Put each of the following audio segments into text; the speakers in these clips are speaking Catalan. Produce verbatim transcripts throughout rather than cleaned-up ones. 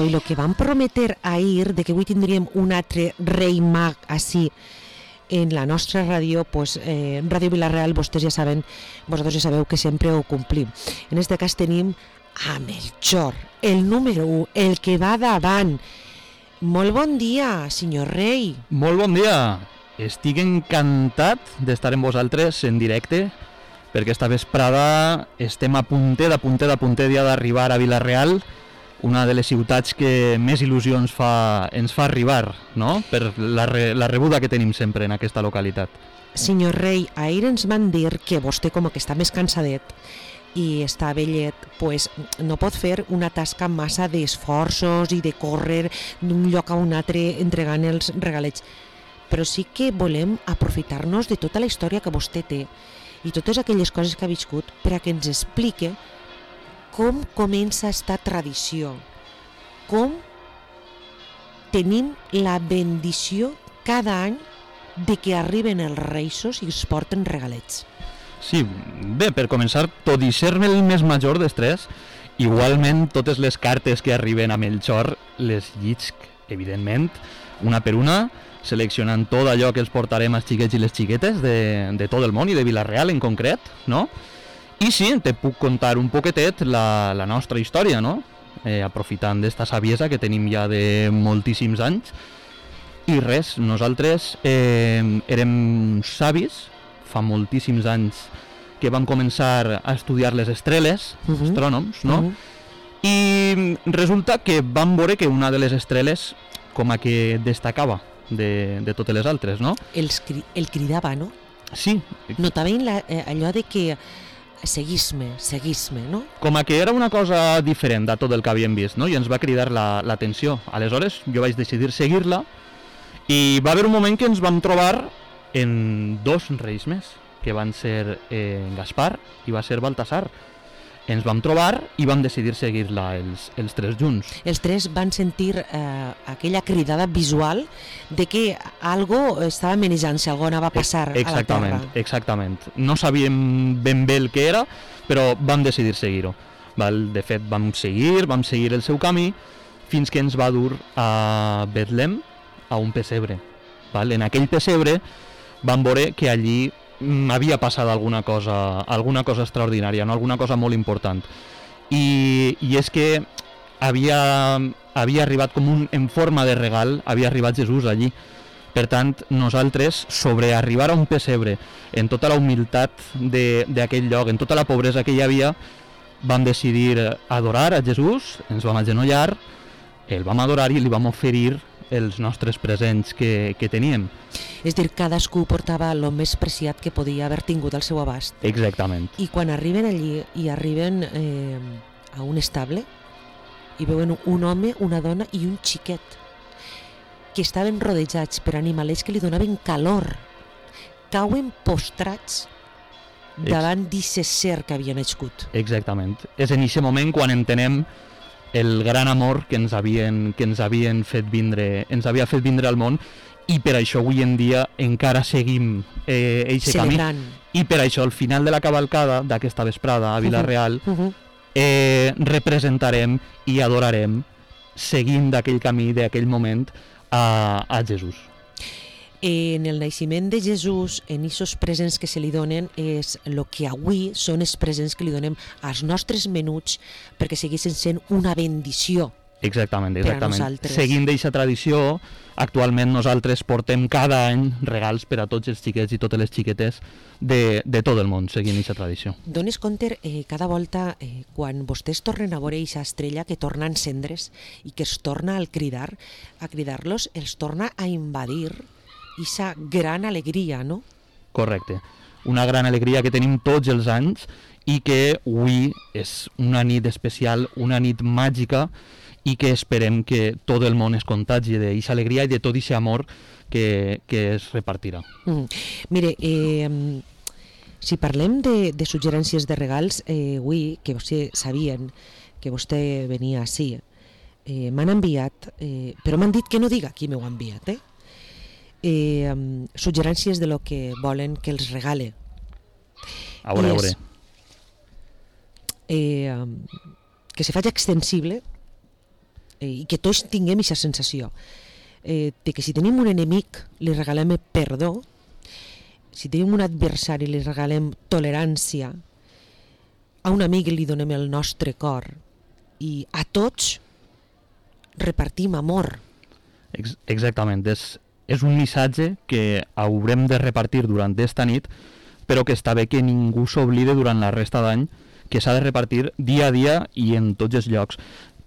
Bueno, i el que vam prometer ahir de que avui tindríem un altre rei mag així en la nostra ràdio, pues, eh, Ràdio Vila-real, vostès ja saben, vosaltres ja sabeu que sempre ho complim. En aquest cas tenim a Melchor, el número u, el que va davant. Molt bon dia, senyor rei. Molt bon dia. Estic encantat d'estar amb vosaltres en directe, perquè esta vesprada estem a puntet, a puntet, a puntet ja d'arribar a Vila-real, una de les ciutats que més il·lusions fa, ens fa arribar, no? Per la, re, la rebuda que tenim sempre en aquesta localitat. Senyor rei, ahir ens van dir que vostè, com que està més cansadet i està vellet, pues, no pot fer una tasca massa d'esforços i de córrer d'un lloc a un altre entregant els regalets. Però sí que volem aprofitar-nos de tota la història que vostè té i totes aquelles coses que ha viscut per a que ens explique com comença esta tradició, com tenim la bendició cada any de que arriben els reisos i es porten regalets. Sí, bé, per començar, tot i ser-me el més major dels tres, igualment totes les cartes que arriben a Melchor les llisc, evidentment, una per una, seleccionant tot allò que els portarem als xiquets i les xiquetes de, de tot el món i de Vila-real en concret, no? I sí, te puc contar un poquetet la, la nostra història, no? Eh, aprofitant d'esta saviesa que tenim ja de moltíssims anys. I res, nosaltres eh, érem savis, fa moltíssims anys que vam començar a estudiar les estrelles, uh-huh. astrònoms, no? Uh-huh. I resulta que vam veure que una de les estrelles com a que destacava de, de totes les altres, no? El, el cridava, no? Sí. Notaven la, eh, allò de que seguís-me, seguís-me, no? Com a que era una cosa diferent de tot el que havíem vist, no? I ens va cridar l'atenció. La, Aleshores jo vaig decidir seguir-la i va haver un moment que ens vam trobar en dos reis més, que van ser eh, Gaspar i va ser Baltasar. Ens vam trobar i vam decidir seguir-la els, els tres junts. Els tres van sentir eh, aquella cridada visual de que algo estava manejant-se, algo anava a passar a la terra. Exactament, exactament. No sabíem ben bé el que era, però vam decidir seguir-ho. De fet, vam seguir, vam seguir el seu camí fins que ens va dur a Betlem, a un pessebre. Val? En aquell pessebre vam veure que allí havia passat alguna cosa, alguna cosa extraordinària, no? Alguna cosa molt important. I, i és que havia, havia arribat com un, en forma de regal, havia arribat Jesús allí. Per tant, nosaltres, sobre arribar a un pessebre, en tota la humilitat d'aquell lloc, en tota la pobresa que hi havia, vam decidir adorar a Jesús, ens vam agenollar, el vam adorar i li vam oferir els nostres presents que, que teníem. És dir, cadascú portava el més preciat que podia haver tingut al seu abast. Exactament. I quan arriben allí i arriben eh, a un estable i veuen un home, una dona i un xiquet que estaven rodejats per animalets que li donaven calor, cauen postrats davant d'aquest ser que havien nascut. Exactament. És en aquest moment quan entenem el gran amor que ens havien, que ens havien fet vindre, ens havia fet vindre al món, i per això avui en dia encara seguim eh, eixe camí. I per això al final de la cavalcada d'aquesta vesprada a Vila-real uh-huh. Uh-huh. eh, representarem i adorarem, seguint d'aquell camí, d'aquell moment, a, a Jesús. En el naixement de Jesús, en aquests presents que se li donen, és el que avui són els presents que li donem als nostres menuts perquè seguissin sent una bendició. Exactament, exactament. Seguint d'aquesta tradició, actualment nosaltres portem cada any regals per a tots els xiquets i totes les xiquetes de, de tot el món, seguint aquesta tradició. Dones compte, eh, cada volta, eh, quan vostès tornen a veure aquesta estrella que torna a encendre's i que es torna al cridar, a cridar-los, els torna a invadir aquesta gran alegria, no? Correcte. Una gran alegria que tenim tots els anys i que avui és una nit especial, una nit màgica, i que esperem que tot el món es contagi d'aquesta alegria i de tot aquest amor que, que es repartirà. Mm. Mire, eh, si parlem de, de suggerències de regals, eh, avui, que vostè sabien que vostè venia així, eh, m'han enviat, eh, però m'han dit que no diga qui m'ho ha enviat, eh? Eh, um, suggerències de lo que volen que els regale. A veure, a veure. Eh, um, que se faci extensible eh, i que tots tinguem aquesta sensació eh, de que si tenim un enemic li regalem perdó, si tenim un adversari li regalem tolerància, a un amic li donem el nostre cor i a tots repartim amor. Ex exactament, és, és un missatge que haurem de repartir durant esta nit, però que està bé que ningú s'oblide durant la resta d'any, que s'ha de repartir dia a dia i en tots els llocs.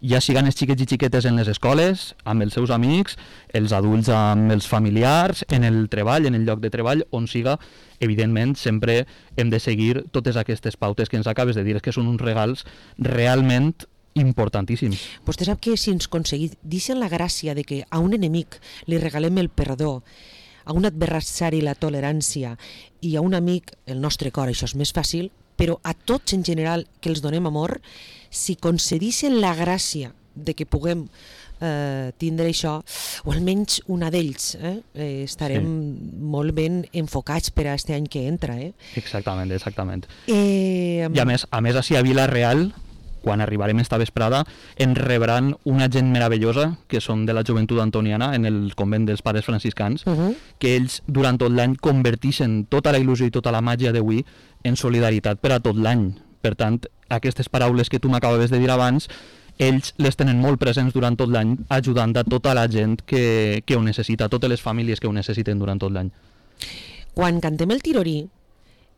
Ja siguen els xiquets i xiquetes en les escoles, amb els seus amics, els adults amb els familiars, en el treball, en el lloc de treball, on siga, evidentment, sempre hem de seguir totes aquestes pautes que ens acabes de dir, que són uns regals realment importantíssims. Vostè sap que si ens aconseguissin la gràcia de que a un enemic li regalem el perdó, a un adversari la tolerància i a un amic el nostre cor, això és més fàcil, però a tots en general que els donem amor, si concedissin la gràcia de que puguem eh, tindre això, o almenys una d'ells, eh, eh, estarem sí. molt ben enfocats per a este any que entra. Eh? Exactament, exactament. Eh, I a més, a més així a Vila-real, quan arribarem esta vesprada, ens rebran una gent meravellosa, que són de la joventut antoniana, en el convent dels pares franciscans, uh -huh. que ells durant tot l'any convertixen tota la il·lusió i tota la màgia d'avui en solidaritat per a tot l'any. Per tant, aquestes paraules que tu m'acabaves de dir abans, ells les tenen molt presents durant tot l'any, ajudant a tota la gent que, que ho necessita, totes les famílies que ho necessiten durant tot l'any. Quan cantem el tirorí,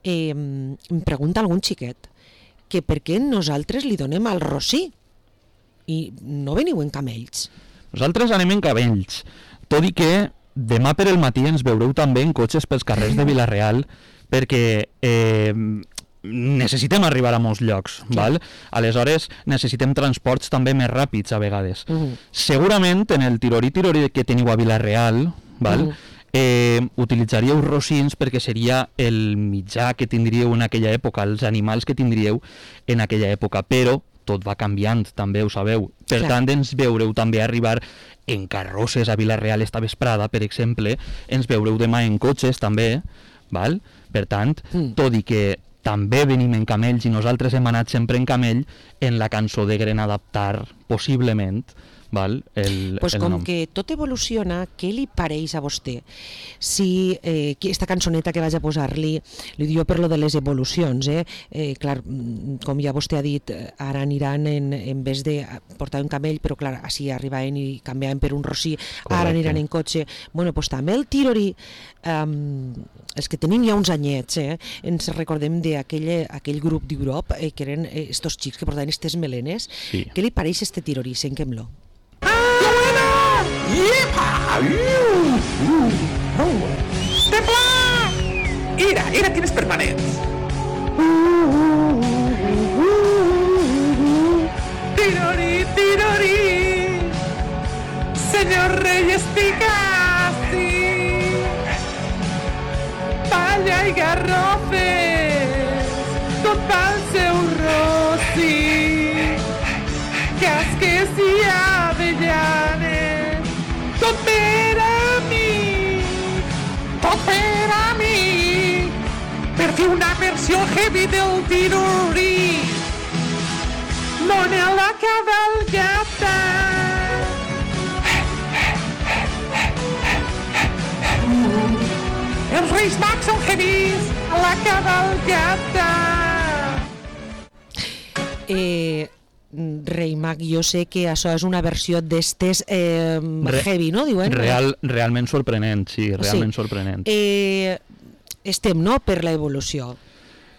eh, em pregunta algun xiquet que per què nosaltres li donem al rossí i no veniu en camells. Nosaltres anem en camells, tot i que demà per el matí ens veureu també en cotxes pels carrers de Vila-real, perquè eh, necessitem arribar a molts llocs, sí. val? Aleshores necessitem transports també més ràpids a vegades. Uh -huh. Segurament en el tirorí-tirorí que teniu a Vila-real, val? Uh -huh. eh, utilitzaríeu rossins perquè seria el mitjà que tindríeu en aquella època, els animals que tindríeu en aquella època, però tot va canviant, també ho sabeu. Per Clar. tant, ens veureu també arribar en carrosses a Vila-real esta vesprada, per exemple, ens veureu demà en cotxes també, val? Per tant, mm. tot i que també venim en camells i nosaltres hem anat sempre en camell, en la cançó degueren adaptar, possiblement, val? El, pues el com nom. que tot evoluciona, què li pareix a vostè si eh, aquesta cançoneta que vaig a posar-li, li diu per lo de les evolucions, eh? Eh, clar, com ja vostè ha dit, ara aniran en, en vez de portar un camell, però clar, així arribaven i canviaven per un rossí, Correcte. Ara aniran en cotxe. Bueno, pues també el tirorí, um, els que tenim ja uns anyets, eh? Ens recordem d'aquell aquell grup d'Europa, eh, que eren eh, estos xics que portaven estes melenes. Sí. Què li pareix este tirorí? Senquem-lo. ¡Yepa! ¡Uh! ¡Uh! ¡Uh! ¡Templa! ¡Ira! ¡Ira tienes permanents! ¡Tirori! ¡Tirori! ¡Señor Reyes Picassi! ¡Palla y garrofes! ¡Total seu rossi! ¡Casques y avellanes! ¡Tot per a mi! ¡Tot per a mi! Per fer una versió heavy del tirorí! L'ona la cavalgata! Els Reis Mags són heavies a la cavalgata! Eh... Rei Mag, jo sé que això és una versió d'estes eh, heavy, no? Diuen? Real, realment sorprenent, sí, realment sí. sorprenent. Eh, estem, no?, per l'evolució.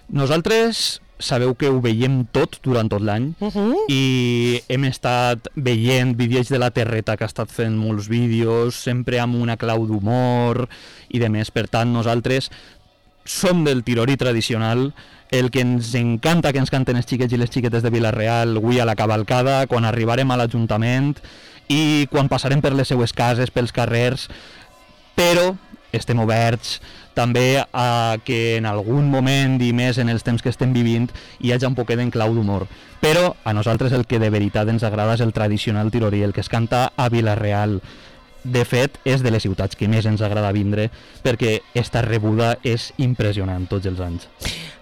Nosaltres sabeu que ho veiem tot durant tot l'any uh -huh. i hem estat veient vídeos de la Terreta que ha estat fent molts vídeos, sempre amb una clau d'humor i de més. Per tant, nosaltres som del tirorí tradicional, el que ens encanta que ens canten els xiquets i les xiquetes de Vila-real avui a la cavalcada, quan arribarem a l'Ajuntament i quan passarem per les seues cases, pels carrers, però estem oberts també a que en algun moment i més en els temps que estem vivint hi hagi un poquet en clau d'humor. Però a nosaltres el que de veritat ens agrada és el tradicional tirorí, el que es canta a Vila-real. De fet, és de les ciutats que més ens agrada vindre perquè esta rebuda és impressionant tots els anys.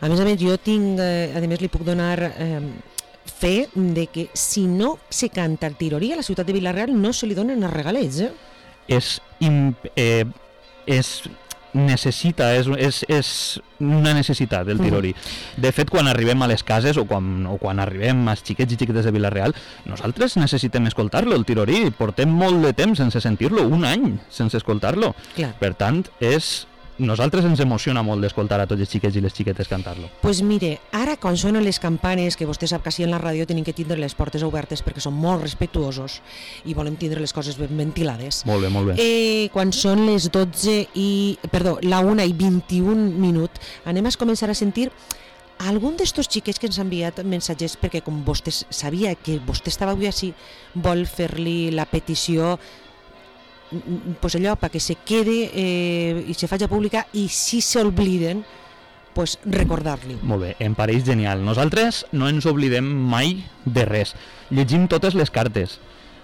A més a més, jo tinc, eh, a més li puc donar eh, fe de que si no se canta el tirorí a la ciutat de Vila-real no se li donen els regalets, eh? És... Imp, eh, és necessita, és, és, és una necessitat el tirorí. De fet, quan arribem a les cases o quan, o quan arribem als xiquets i xiquetes de Vila-real, nosaltres necessitem escoltar-lo, el tirorí. Portem molt de temps sense sentir-lo, un any sense escoltar-lo. Clar. Per tant, és... nosaltres ens emociona molt d'escoltar a tots els xiquets i les xiquetes cantar-lo. Pues mire, ara quan sonen les campanes, que vostè sap que així en la ràdio tenim que tindre les portes obertes perquè són molt respectuosos i volem tindre les coses ben ventilades. Molt bé, molt bé. Eh, quan són les dotze i... perdó, la una i vint-i-un minut, anem a començar a sentir algun d'estos xiquets que ens ha enviat missatges perquè com vostè sabia que vostè estava avui així, vol fer-li la petició pues allò, perquè se quede eh, i se faci pública i si s'obliden pues recordar-li. Molt bé, em pareix genial. Nosaltres no ens oblidem mai de res. Llegim totes les cartes,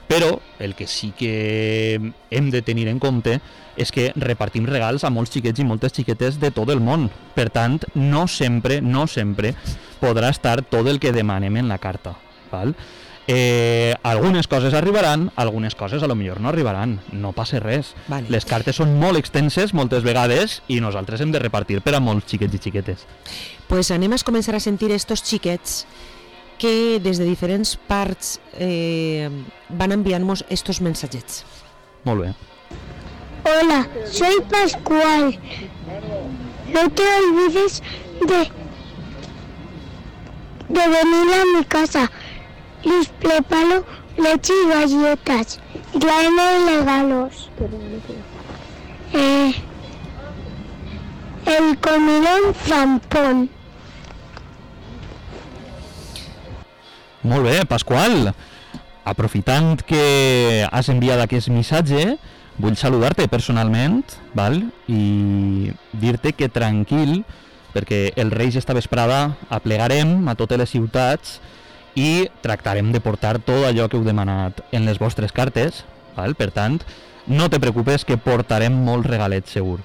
però el que sí que hem de tenir en compte és que repartim regals a molts xiquets i moltes xiquetes de tot el món. Per tant, no sempre, no sempre podrà estar tot el que demanem en la carta, val? Eh, algunes coses arribaran, algunes coses a lo millor no arribaran, no passa res. Vale. Les cartes són molt extenses moltes vegades i nosaltres hem de repartir per a molts xiquets i xiquetes. Pues anem a començar a sentir estos xiquets que des de diferents parts eh, van enviar-nos estos mensatgets. Molt bé. Hola, soy Pascual. No te olvides de, de venir a mi casa. Les preparo leche y galletas. Y tráeme regalos. Eh, el comilón zampón. Molt bé, Pasqual. Aprofitant que has enviat aquest missatge, vull saludar-te personalment, val? I dir-te que tranquil, perquè el Reis esta vesprada aplegarem a totes les ciutats i tractarem de portar tot allò que heu demanat en les vostres cartes, val? Per tant, no te preocupes que portarem molts regalets segur.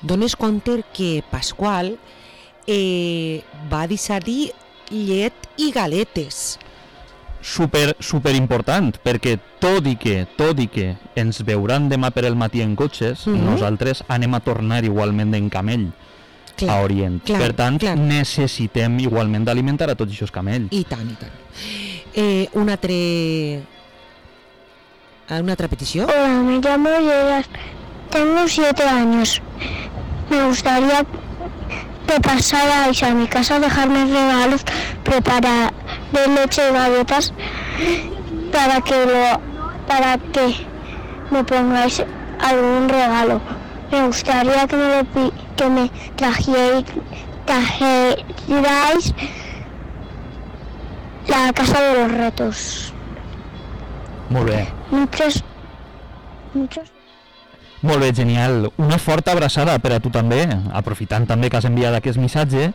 Dones compte que Pasqual eh, va deixar-hi llet i galetes. Super, super important, perquè tot i que, tot i que ens veuran demà per el matí en cotxes, Mhm. nosaltres anem a tornar igualment en camell Clar, a Orient. clar, per tant, clar. necessitem igualment d'alimentar a tots aquests camells. I tant, i tant. Eh, un altre... ¿Una otra petición? Hola, me llamo Gerard. Tengo siete años. Me gustaría que pasarais a mi casa a dejarme regalos, preparar de leche y galletas para que lo, para que me pongáis algún regalo. Me gustaría que me, lo, pi- que me trajierais, trajerais la casa de los retos. Molt bé. Muchos, muchos. Molt bé, genial. Una forta abraçada per a tu també, aprofitant també que has enviat aquest missatge,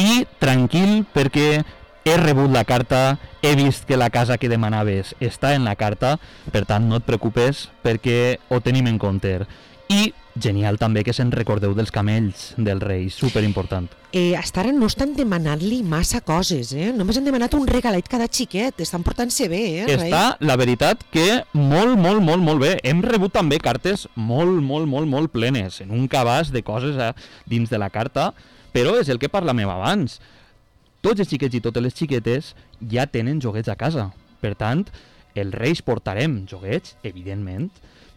i tranquil perquè he rebut la carta, he vist que la casa que demanaves està en la carta, per tant no et preocupes perquè ho tenim en compte. I genial també que se'n recordeu dels camells del Reis, superimportant. Eh, hasta ara no estan demanant-li massa coses, eh? Només han demanat un regalet cada xiquet, estan portant-se bé, eh? Està, la veritat, que molt, molt, molt, molt bé. Hem rebut també cartes molt, molt, molt, molt plenes, en un cabàs de coses eh, dins de la carta, però és el que parlàvem abans. Tots els xiquets i totes les xiquetes ja tenen joguets a casa. Per tant, els Reis portarem joguets, evidentment,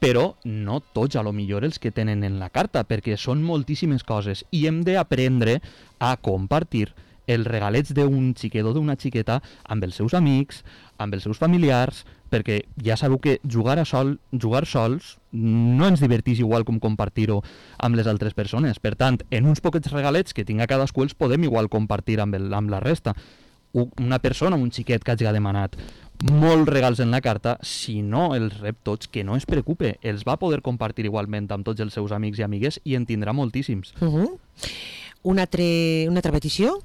però no tots a lo millor els que tenen en la carta, perquè són moltíssimes coses i hem d'aprendre a compartir els regalets d'un xiquet o d'una xiqueta amb els seus amics, amb els seus familiars, perquè ja sabeu que jugar a sol, jugar sols no ens divertís igual com compartir-ho amb les altres persones. Per tant, en uns poquets regalets que tinga cadascú els podem igual compartir amb, el, amb la resta. Una persona, un xiquet que hagi demanat molts regals en la carta, si no els rep tots, que no es preocupe, els va poder compartir igualment amb tots els seus amics i amigues i en tindrà moltíssims. Uh -huh. una, altre, una altra petició?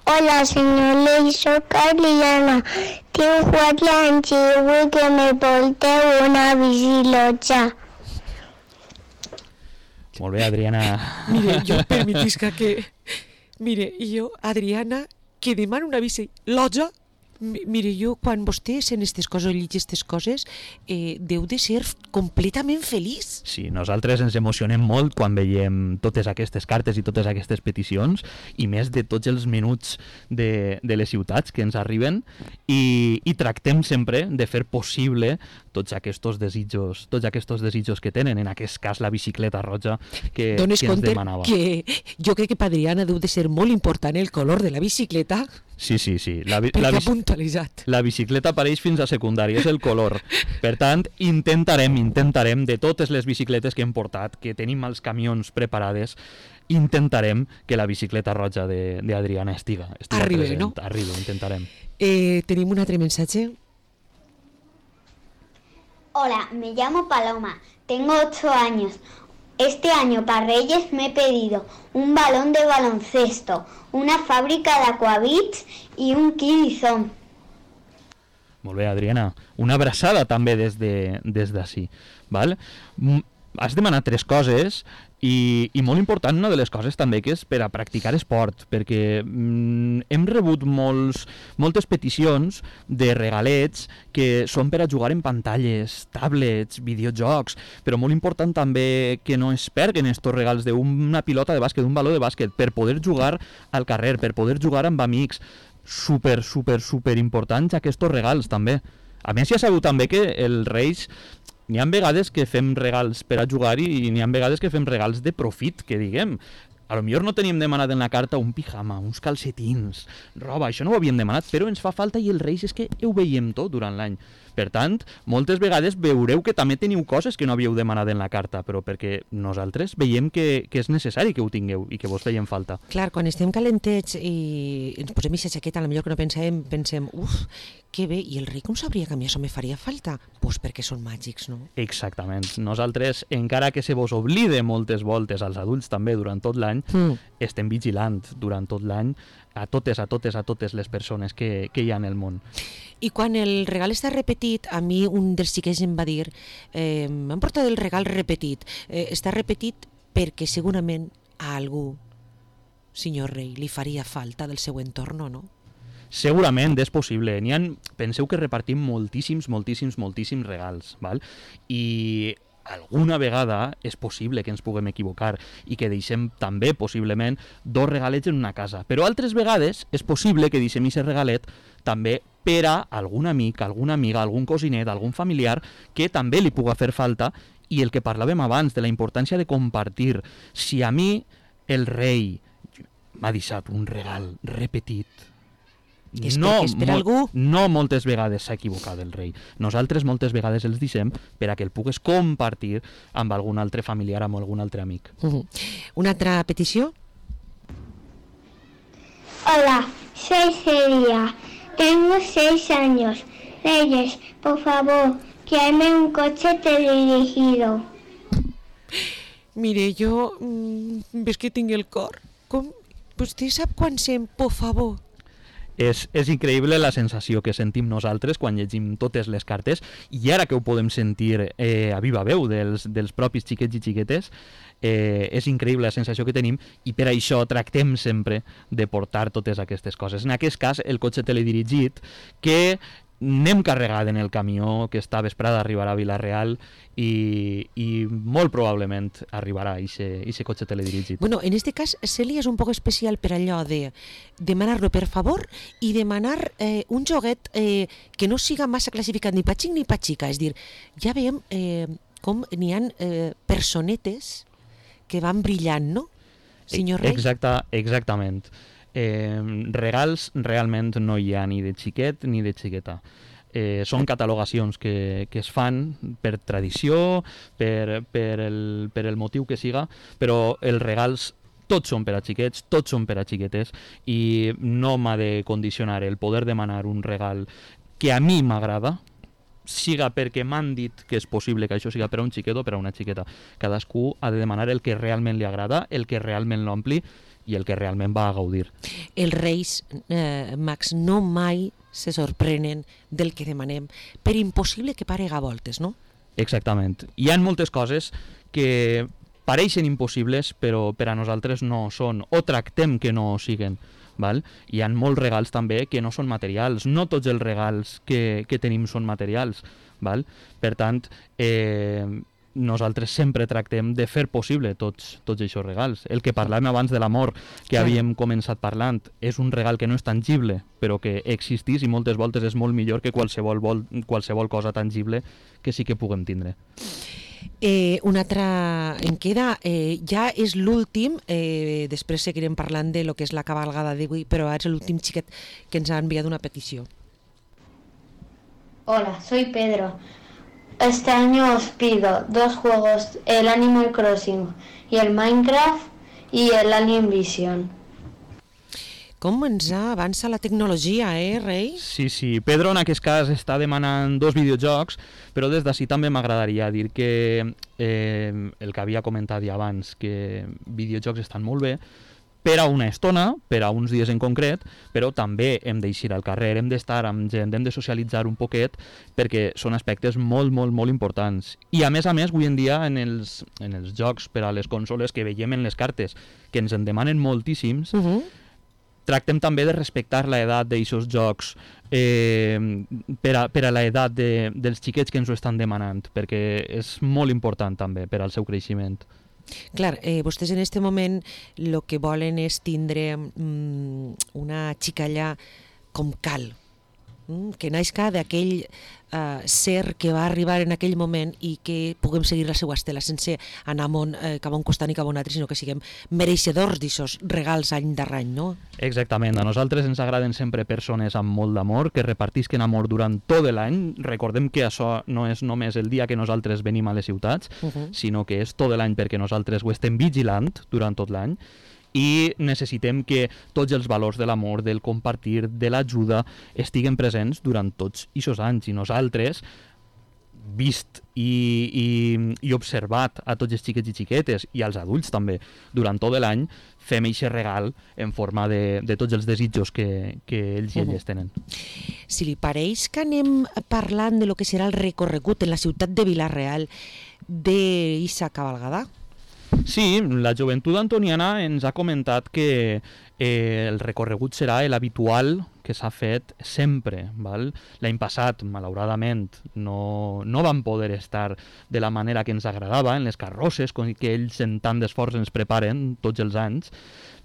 Hola, señor Ley, soy Carliana. Tengo cuatro años y vull que me porte una bicicleta. Molt bé, Adriana. Mire, jo permetisca que... Mire, jo, Adriana, que demana una bici loja. Mire, jo, quan vostè sent aquestes coses o llegeix aquestes coses, eh, deu de ser completament feliç. Sí, nosaltres ens emocionem molt quan veiem totes aquestes cartes i totes aquestes peticions, i més de tots els minuts de, de les ciutats que ens arriben, i, i tractem sempre de fer possible tots aquests desitjos, tots aquests desitjos que tenen, en aquest cas la bicicleta roja que, Dones que ens compte demanava. Que jo crec que per Adriana deu de ser molt important el color de la bicicleta. Sí, sí, sí. La, perquè la, ha puntualitzat. La bicicleta apareix fins a secundària, és el color. Per tant, intentarem, intentarem, de totes les bicicletes que hem portat, que tenim als camions preparades, intentarem que la bicicleta roja d'Adriana estiga, estiga Arriba, present. no? Arriba, intentarem. Eh, tenim un altre mensatge. Hola, me llamo Paloma, tengo ocho años. Este año para Reyes me he pedido un balón de baloncesto, una fábrica de Aquavits y un Kidizón. Molt bé, Adriana. Una abraçada també des de, des d'ací. Val? Has demanat tres coses i, i molt important, una de les coses també que és per a practicar esport, perquè mm, hem rebut molts, moltes peticions de regalets que són per a jugar en pantalles, tablets, videojocs, però molt important també que no es perguen estos regals d'una pilota de bàsquet, d'un baló de bàsquet, per poder jugar al carrer, per poder jugar amb amics. Super, super, super importants aquests regals també. A més, ja sabeu també que els Reis, n'hi ha vegades que fem regals per a jugar i n'hi ha vegades que fem regals de profit, que diguem. A lo millor no teníem demanat en la carta un pijama, uns calcetins, roba, això no ho havíem demanat, però ens fa falta i els Reis és que ho veiem tot durant l'any. Per tant, moltes vegades veureu que també teniu coses que no havíeu demanat en la carta, però perquè nosaltres veiem que, que és necessari que ho tingueu i que vos feien falta. Clar, quan estem calentets i ens posem aquesta jaqueta, potser que no pensem, pensem, uf, que bé, i el rei com sabria que a mi això me faria falta? Doncs pues perquè són màgics, no? Exactament. Nosaltres, encara que se vos oblide moltes voltes, als adults també durant tot l'any, mm. estem vigilant durant tot l'any a totes, a totes, a totes les persones que, que hi ha en el món. I quan el regal està repetit, a mi un dels xiquets em va dir, eh, m'han portat el regal repetit. Eh, està repetit perquè segurament a algú, senyor rei, li faria falta del seu entorn, no? Segurament és possible. N'hi ha, penseu que repartim moltíssims, moltíssims, moltíssims regals, val? I alguna vegada és possible que ens puguem equivocar i que deixem també, possiblement, dos regalets en una casa. Però altres vegades és possible que deixem aquest regalet també per a algun amic, alguna amiga, algun cosinet, algun familiar que també li puga fer falta, i el que parlàvem abans de la importància de compartir. Si a mi el rei m'ha deixat un regal repetit, és no, perquè és per mo algú. No moltes vegades s'ha equivocat el rei. Nosaltres moltes vegades els deixem per a que el pugues compartir amb algun altre familiar, amb algun altre amic. Uh-huh. Una altra petició? Hola, soy Celia. Tengo seis años. Reyes, por favor, tráeme un coche teledirigido. Mire, jo... Mmm, ves que tinc el cor? Com? Vostè sap quan sent, por favor? És, és increïble la sensació que sentim nosaltres quan llegim totes les cartes, i ara que ho podem sentir eh, a viva veu dels, dels propis xiquets i xiquetes, eh, és increïble la sensació que tenim, i per això tractem sempre de portar totes aquestes coses. En aquest cas, el cotxe teledirigit, que anem carregat en el camió, que esta vesprada arribarà a Vila-real, i, i molt probablement arribarà aquest cotxe teledirigit. Bueno, en este cas, Celia és un poc especial per allò de demanar-lo per favor i demanar eh, un joguet eh, que no siga massa classificat ni pa xic ni pa xica. És dir, ja veiem eh, com n'hi ha eh, personetes que van brillant, no, senyor rei? Exacte, exactament. Eh, regals realment no hi ha ni de xiquet ni de xiqueta. Eh, són catalogacions que, que es fan per tradició, per, per, el, per el motiu que siga, però els regals tots són per a xiquets, tots són per a xiquetes, i no m'ha de condicionar el poder demanar un regal que a mi m'agrada, siga perquè m'han dit que és possible que això siga per a un xiquet o per a una xiqueta. Cadascú ha de demanar el que realment li agrada, el que realment l'ompli i el que realment va a gaudir. Els reis, eh, Max, no mai se sorprenen del que demanem, per impossible que parega voltes, no? Exactament. Hi ha moltes coses que pareixen impossibles, però per a nosaltres no són, o tractem que no ho siguen. val? Hi ha molts regals també que no són materials, no tots els regals que, que tenim són materials, val? Per tant, eh, nosaltres sempre tractem de fer possible tots, tots aquests regals. El que parlàvem abans de l'amor, que havíem començat parlant, és un regal que no és tangible, però que existís i moltes voltes és molt millor que qualsevol, vol, qualsevol cosa tangible que sí que puguem tindre. Eh, una altra en queda, eh, ja és l'últim, eh, després seguirem parlant de lo que és la cabalgada d'avui, però ara és l'últim xiquet que ens ha enviat una petició. Hola, soy Pedro. Este año os pido dos juegos, el Animal Crossing y el Minecraft y el Alien Vision. Com ens avança la tecnologia, eh, Rei? Sí, sí. Pedro en aquest cas està demanant dos videojocs, però des d'ací també m'agradaria dir que eh, el que havia comentat ja abans, que videojocs estan molt bé, per a una estona, per a uns dies en concret, però també hem d'eixir al carrer, hem d'estar amb gent, hem de socialitzar un poquet, perquè són aspectes molt, molt, molt importants. I a més a més, avui en dia, en els, en els jocs per a les consoles que veiem en les cartes, que ens en demanen moltíssims, uh-huh. tractem també de respectar l'edat d'aixòs jocs eh, per a, per a l'edat de, dels xiquets que ens ho estan demanant, perquè és molt important també per al seu creixement. Clar, eh, vostès en aquest moment el que volen és tindre mm, una xicalla com cal, mm, que naixca d'aquell eh, ser que va arribar en aquell moment i que puguem seguir la seva estela sense anar món, eh, cap a un costat i cap a un altre, sinó que siguem mereixedors d'aquests regals any darrer any, no? Exactament, a nosaltres ens agraden sempre persones amb molt d'amor, que repartisquen amor durant tot l'any. Recordem que això no és només el dia que nosaltres venim a les ciutats, uh-huh. sinó que és tot l'any perquè nosaltres ho estem vigilant durant tot l'any i necessitem que tots els valors de l'amor, del compartir, de l'ajuda, estiguen presents durant tots aquests anys. I nosaltres, vist i, i, i observat a tots els xiquets i xiquetes i als adults també durant tot l'any, fem aquest regal en forma de, de tots els desitjos que, que ells i elles tenen. Si li pareix que anem parlant de lo que serà el recorregut en la ciutat de Vila-real d'Issa cabalgada? Sí, la joventut antoniana ens ha comentat que eh, el recorregut serà l'habitual que s'ha fet sempre. Val? L'any passat, malauradament, no, no vam poder estar de la manera que ens agradava en les carrosses, que ells en tant d'esforç ens preparen tots els anys,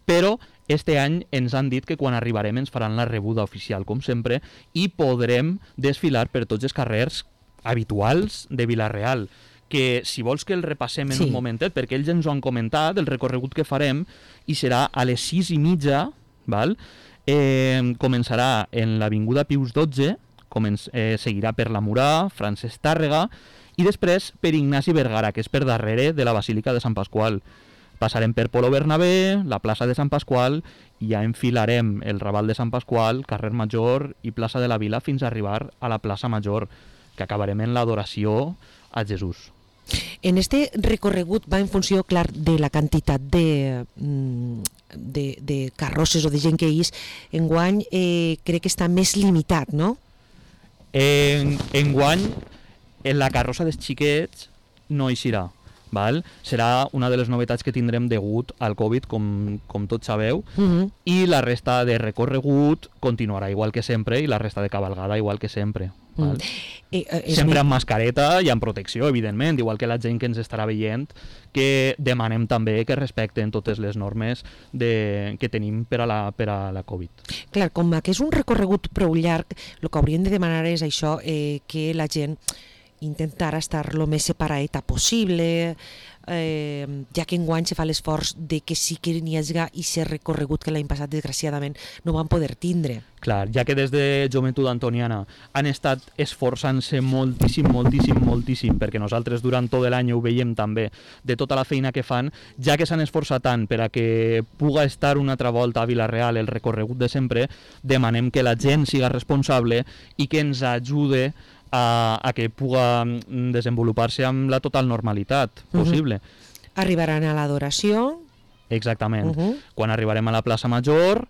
però este any ens han dit que quan arribarem ens faran la rebuda oficial, com sempre, i podrem desfilar per tots els carrers habituals de Vila-real, que si vols que el repassem en sí. un momentet, perquè ells ens ho han comentat, el recorregut que farem, i serà a les sis i mitja, val? Eh, començarà en l'Avinguda Pius dotze, començ, eh, seguirà per la Murà, Francesc Tàrrega, i després per Ignasi Vergara, que és per darrere de la Basílica de Sant Pasqual. Passarem per Polo Bernabé, la plaça de Sant Pasqual, i ja enfilarem el Raval de Sant Pasqual, carrer Major i plaça de la Vila fins a arribar a la plaça Major, que acabarem en l'adoració a Jesús. En este recorregut va en funció, clar, de la quantitat de, de, de carrosses o de gent que hi és. Enguany eh, crec que està més limitat, no? En, enguany, en la carrossa dels xiquets no hi serà. Val? Serà una de les novetats que tindrem degut al Covid, com, com tots sabeu, uh-huh. i la resta de recorregut continuarà igual que sempre i la resta de cabalgada igual que sempre. Val? Mm. Eh, eh, sempre amb mascareta i amb protecció, evidentment, igual que la gent que ens estarà veient, que demanem també que respecten totes les normes de, que tenim per a, la, per a la Covid. Clar, com que és un recorregut prou llarg, el que hauríem de demanar és això, eh, que la gent intentar estar el més separadeta possible, eh, ja que enguany se fa l'esforç de que sí que n'hi hagi i ser recorregut que l'any passat desgraciadament no van poder tindre. Clar, ja que des de Joventut Antoniana han estat esforçant-se moltíssim, moltíssim, moltíssim, perquè nosaltres durant tot l'any ho veiem també, de tota la feina que fan, ja que s'han esforçat tant per a que puga estar una altra volta a Vila-real el recorregut de sempre, demanem que la gent siga responsable i que ens ajude A, a que puga desenvolupar-se amb la total normalitat possible. Uh-huh. Arribaran a l'adoració. Exactament. Uh-huh. Quan arribarem a la plaça Major,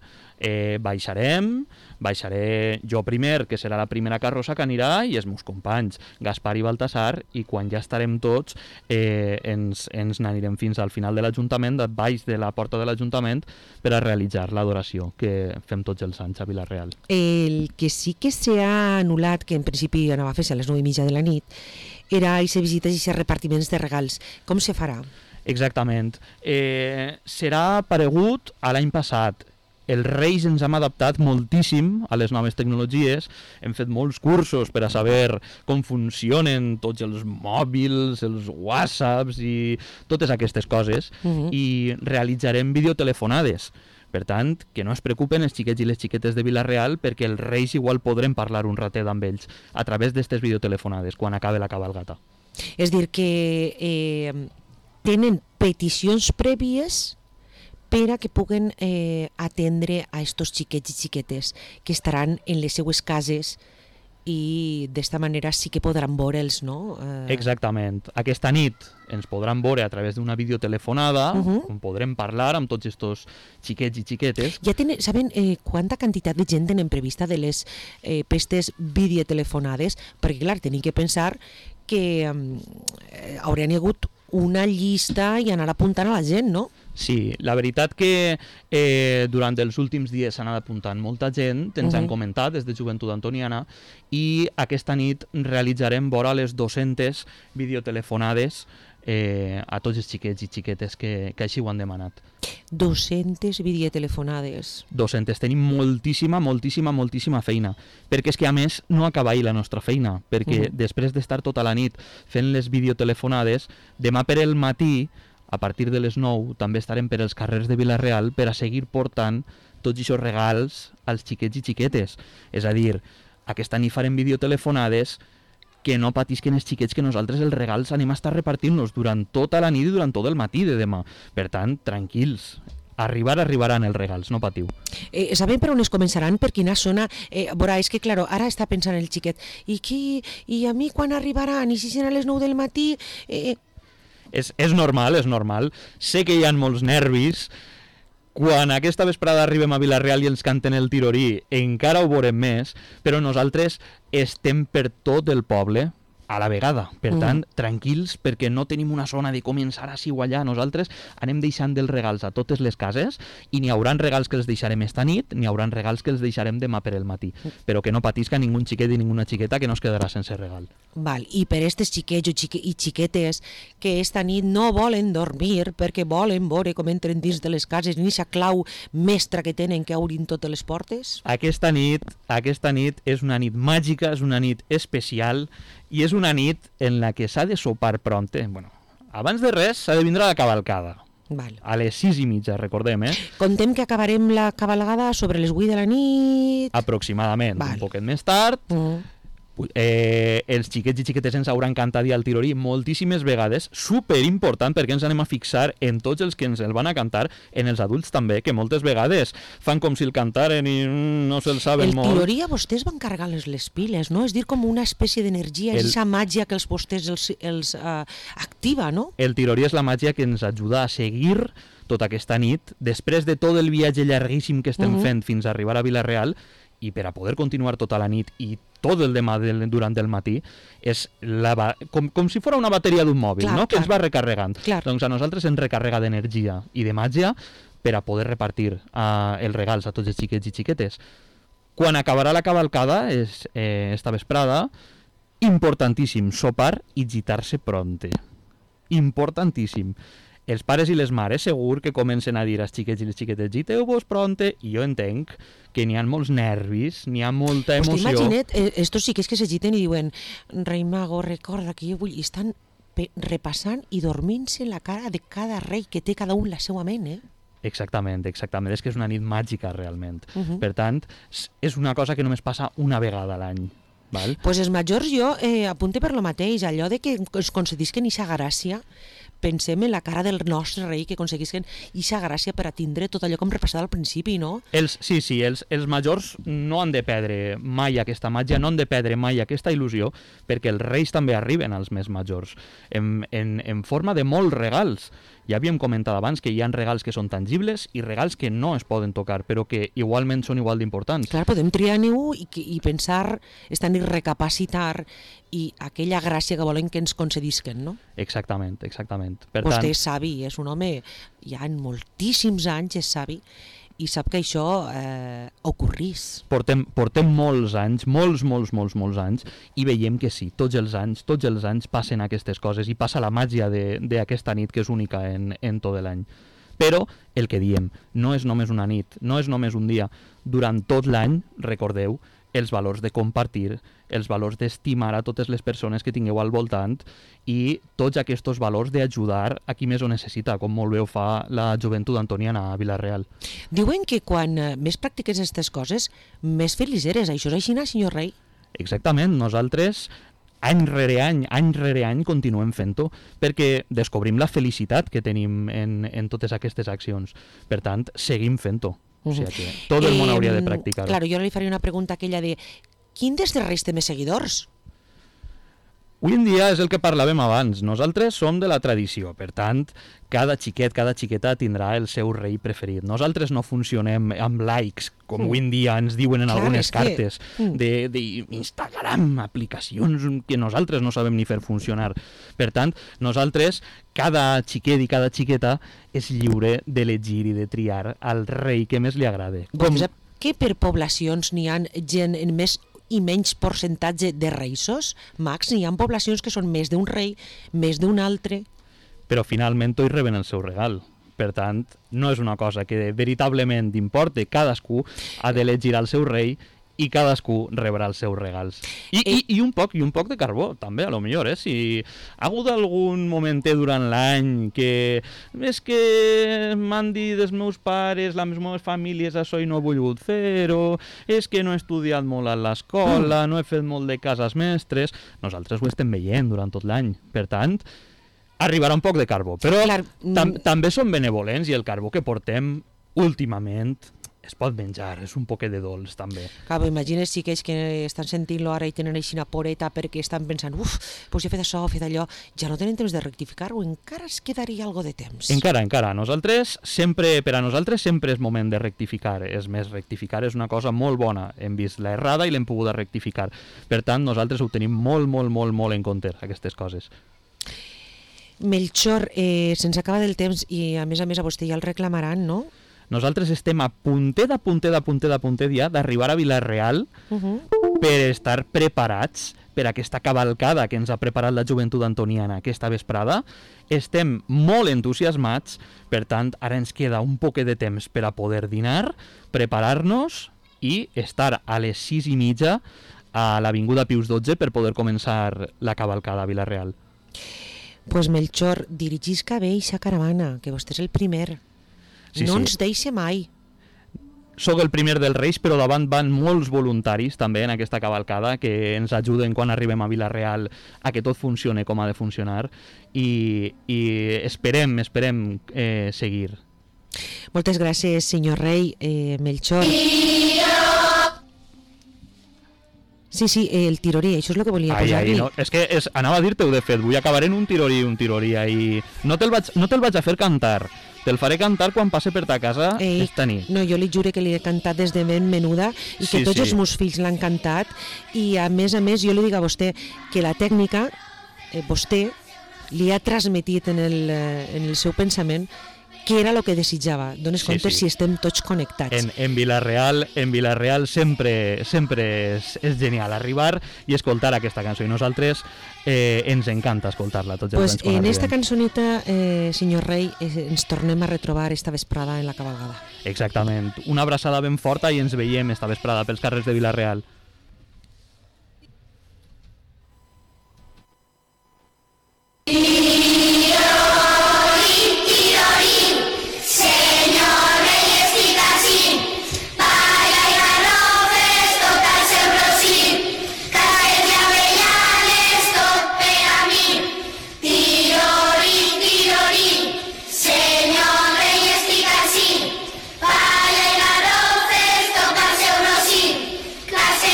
Eh, baixarem, baixaré jo primer, que serà la primera carrossa que anirà, i els meus companys, Gaspar i Baltasar, i quan ja estarem tots eh, ens, ens n'anirem fins al final de l'Ajuntament, baix de la porta de l'Ajuntament, per a realitzar l'adoració que fem tots els anys a Vila-real. El que sí que s'ha anul·lat, que en principi anava a fer-se a les nou i mitja de la nit, era aquestes visites i aquests repartiments de regals. Com se farà? Exactament. Eh, serà paregut a l'any passat. Els Reis ens hem adaptat moltíssim a les noves tecnologies, hem fet molts cursos per a saber com funcionen tots els mòbils, els whatsapps i totes aquestes coses, uh-huh. i realitzarem videotelefonades. Per tant, que no es preocupen els xiquets i les xiquetes de Vila-real, perquè els Reis igual podrem parlar un ratet amb ells a través d'aquestes videotelefonades quan acabe la cabalgata. És dir, que eh, tenen peticions prèvies per a que puguen eh, atendre a estos xiquets i xiquetes que estaran en les seues cases i d'esta manera sí que podran veure'ls, no? Eh... Exactament. Aquesta nit ens podran veure a través d'una videotelefonada, uh-huh. on podrem parlar amb tots estos xiquets i xiquetes. Ja tenen, saben eh, quanta quantitat de gent tenen prevista de les eh, pestes videotelefonades? Perquè, clar, tenim que pensar que eh, haurien hagut una llista i anar apuntant a la gent, no? Sí, la veritat que eh, durant els últims dies s'ha anat apuntant molta gent, ens uh-huh. han comentat des de Joventut Antoniana, i aquesta nit realitzarem vora les dues-centes videotelefonades eh, a tots els xiquets i xiquetes que, que així ho han demanat. dues-centes videotelefonades. dues-centes. Tenim moltíssima, moltíssima, moltíssima feina, perquè és que a més no acaba ahir la nostra feina, perquè uh-huh. després d'estar tota la nit fent les videotelefonades, demà per el matí, a partir de les nou, també estarem per els carrers de Vila-real per a seguir portant tots aquests regals als xiquets i xiquetes. És a dir, aquesta nit farem videotelefonades, que no patisquen els xiquets, que nosaltres els regals anem a estar repartint-los durant tota la nit i durant tot el matí de demà. Per tant, tranquils. Arribar, arribaran els regals, no patiu. Eh, sabem per on es començaran? Per quina zona? Eh, veurà, és que, claro, ara està pensant el xiquet, i, qui, i a mi quan arribaran? I si seran a les nou del matí? Eh... És, és normal, és normal. Sé que hi ha molts nervis. Quan aquesta vesprada arribem a Vila-real i ens canten el tirorí, encara ho veurem més, però nosaltres estem per tot el poble a la vegada. Per tant, mm. tranquils, perquè no tenim una zona de començar així o allà. Nosaltres anem deixant els regals a totes les cases i n'hi hauran regals que els deixarem esta nit, n'hi hauran regals que els deixarem demà per el matí. Però que no patisca ningú xiquet i ninguna xiqueta que no es quedarà sense regal. Val. I per estes xiquets xique i xiquetes que esta nit no volen dormir perquè volen veure com entren dins de les cases ni aquesta clau mestra que tenen que obrin totes les portes? Aquesta nit, aquesta nit és una nit màgica, és una nit especial, i és una nit en la que s'ha de sopar pronte. Bueno, abans de res s'ha de vindre la cavalcada. Val. A les sis i mitja, recordem, eh? Contem que acabarem la cavalgada sobre les vuit de la nit. Aproximadament, Val. un poquet més tard. Mm. Eh, els xiquets i xiquetes ens hauran cantat i al tirorí moltíssimes vegades, super important, perquè ens anem a fixar en tots els que ens el van a cantar, en els adults també, que moltes vegades fan com si el cantaren i mm, no se'l saben el molt. El tirorí a vostès van carregar les, les piles, no? És dir, com una espècie d'energia, el... és aquesta màgia que els vostès els, els uh, activa, no? El tirorí és la màgia que ens ajuda a seguir tota aquesta nit, després de tot el viatge llarguíssim que estem uh-huh. fent fins a arribar a Vila-real, i per a poder continuar tota la nit i tot el demà del, durant el matí, és la, com, com si fos una bateria d'un mòbil, clar, no? Que clar. Ens va recarregant. Clar. Doncs a nosaltres ens recarrega d'energia i de màgia per a poder repartir uh, els regals a tots els xiquets i xiquetes. Quan acabarà la cavalcada, és, eh, esta vesprada, importantíssim, sopar i gitar-se pronte. Importantíssim. Els pares i les mares segur que comencen a dir als xiquets i les xiquetes giteu-vos pronte, i jo entenc que n'hi ha molts nervis, n'hi ha molta emoció. Pues t'imagina't, eh, estos xiquets que se giten i diuen Rei Mago, recorda que jo vull... I estan repassant i dormint-se la cara de cada rei que té cada un la seva ment, eh? Exactament, exactament. És que és una nit màgica, realment. Uh-huh. Per tant, és una cosa que només passa una vegada a l'any. Val? Pues els majors jo eh, apunte per lo mateix, allò de que es concedisquen ixa gràcia, pensem en la cara del nostre rei que aconseguisquen ixa gràcia per a tindre tot allò com repassat al principi, no? Els, sí, sí, els, els majors no han de perdre mai aquesta màgia, no han de perdre mai aquesta il·lusió, perquè els reis també arriben als més majors, en, en, en forma de molts regals. Ja havíem comentat abans que hi ha regals que són tangibles i regals que no es poden tocar, però que igualment són igual d'importants. Clar, podem triar-ne-ho i, i pensar, estan i recapacitar i aquella gràcia que volen que ens concedisquen, no? Exactament, exactament. Per Vostè tant, és savi, és un home, ja en moltíssims anys és savi, i sap que això eh, ocorrís. portem, portem molts anys, molts, molts, molts, molts anys, i veiem que sí, tots els anys, tots els anys passen aquestes coses i passa la màgia d'aquesta nit que és única en, en tot l'any. Però el que diem, no és només una nit, no és només un dia. Durant tot l'any, recordeu, els valors de compartir, els valors d'estimar a totes les persones que tingueu al voltant i tots aquests valors d'ajudar a qui més ho necessita, com molt bé ho fa la joventut antoniana a Vila-real. Diuen que quan eh, més practiques aquestes coses, més feliç eres. Això és així, senyor rei? Exactament, nosaltres any rere any, any rere any continuem fent-ho perquè descobrim la felicitat que tenim en, en totes aquestes accions. Per tant, seguim fent-ho. O sigui que tot el món hauria de practicar-ho. Claro, jo li faria una pregunta aquella de quin dels reis té més seguidors? Avui en dia és el que parlàvem abans. Nosaltres som de la tradició, per tant, cada xiquet, cada xiqueta tindrà el seu rei preferit. Nosaltres no funcionem amb likes, com mm. avui en dia ens diuen en Clar, algunes que... cartes d'Instagram, aplicacions que nosaltres no sabem ni fer funcionar. Per tant, nosaltres, cada xiquet i cada xiqueta és lliure d'elegir i de triar el rei que més li agrada. Com... Sap que per poblacions n'hi ha gent en més i menys percentatge de reisos? Max, n'hi ha poblacions que són més d'un rei, més d'un altre. Però finalment tots reben el seu regal. Per tant, no és una cosa que veritablement importe. Cadascú ha d'elegir el seu rei i cadascú rebrà els seus regals. I, i, i, un poc, I un poc de carbó, també, a lo millor, eh? Si ha hagut algun momentet durant l'any que és que m'han dit els meus pares, les meves famílies, això i no he volgut fer-ho, és que no he estudiat molt a l'escola, mm. no he fet molt de cases mestres, nosaltres ho estem veient durant tot l'any. Per tant, arribarà un poc de carbó. Però Clar, tam també som benevolents i el carbó que portem últimament es pot menjar, és un poquet de dolç també. Clar, imagina't si aquells que estan sentint-lo ara i tenen així una poreta perquè estan pensant uf, doncs he fet això, he fet allò, ja no tenen temps de rectificar-ho, encara es quedaria algo de temps. Encara, encara. Nosaltres sempre, per a nosaltres sempre és moment de rectificar. És més, rectificar és una cosa molt bona. Hem vist la errada i l'hem pogut rectificar. Per tant, nosaltres ho tenim molt, molt, molt, molt en compte, aquestes coses. Melchor, eh, se'ns acaba del temps i a més a més a vostè ja el reclamaran, no? Nosaltres estem a puntet, a puntet, a puntet, a puntet ja d'arribar a Vila-real uh-huh. per estar preparats per aquesta cavalcada que ens ha preparat la joventut antoniana aquesta vesprada. Estem molt entusiasmats, per tant, ara ens queda un poquet de temps per a poder dinar, preparar-nos i estar a les sis i mitja a l'Avinguda Pius dotze per poder començar la cavalcada a Vila-real. Pues Melchor, dirigisca bé eixa caravana, que vostè és el primer. Sí, no sí. ens deixe mai. Soc el primer dels Reis, però davant van molts voluntaris també en aquesta cavalcada que ens ajuden quan arribem a Vila-real a que tot funcione com ha de funcionar i, i esperem, esperem eh, seguir. Moltes gràcies, senyor rei. Eh, Melchor. Sí, sí, el tirorí, això és el que volia posar-li. No, és que és, anava a dir-te-ho de fet, vull acabar en un tirorí, un tirorí, i no te'l vaig, no te'l vaig a fer cantar, te'l faré cantar quan passe per ta casa Ei, esta nit. No, jo li jure que li he cantat des de ben menuda i que sí, tots sí. els meus fills l'han cantat i a més a més jo li dic a vostè que la tècnica, eh, vostè li ha transmetit en el, en el seu pensament què era el que desitjava. Dones sí, compte sí. si estem tots connectats. En, en Vila-real, en Vila-real sempre, sempre és, és genial arribar i escoltar aquesta cançó. I nosaltres eh, ens encanta escoltar-la tots els pues anys quan en arribem. esta cançoneta, eh, senyor rei, eh, ens tornem a retrobar esta vesprada en la cavalgada. Exactament. Una abraçada ben forta i ens veiem esta vesprada pels carrers de Vila-real. Clase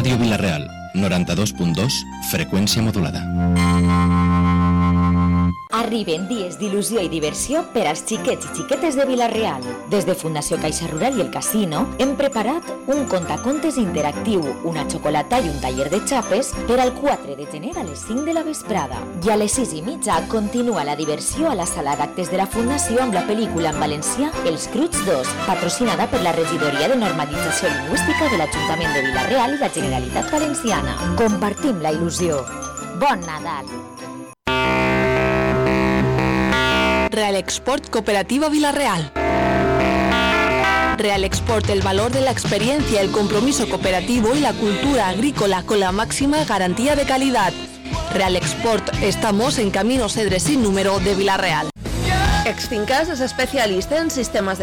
Ràdio Vila-real, noranta-dos punt dos, freqüència modulada. Arriben dies d'il·lusió i diversió per als xiquets i xiquetes de Vila-real. Des de Fundació Caixa Rural i el Casino hem preparat un contacontes interactiu, una xocolata i un taller de xapes per al quatre de gener a les cinc de la vesprada. I a les sis i mitja continua la diversió a la sala d'actes de la Fundació amb la pel·lícula en valencià Els Cruts dos, patrocinada per la Regidoria de Normalització Lingüística de l'Ajuntament de Vila-real i la Generalitat Valenciana. Compartim la il·lusió. Bon Nadal! Real Export Cooperativa Vila-real. Real Export, el valor de la experiencia, el compromiso cooperativo y la cultura agrícola con la máxima garantía de calidad. Real Export, estamos en Camino Cedres sin número de Vila-real. Exfincas es especialista en sistemes de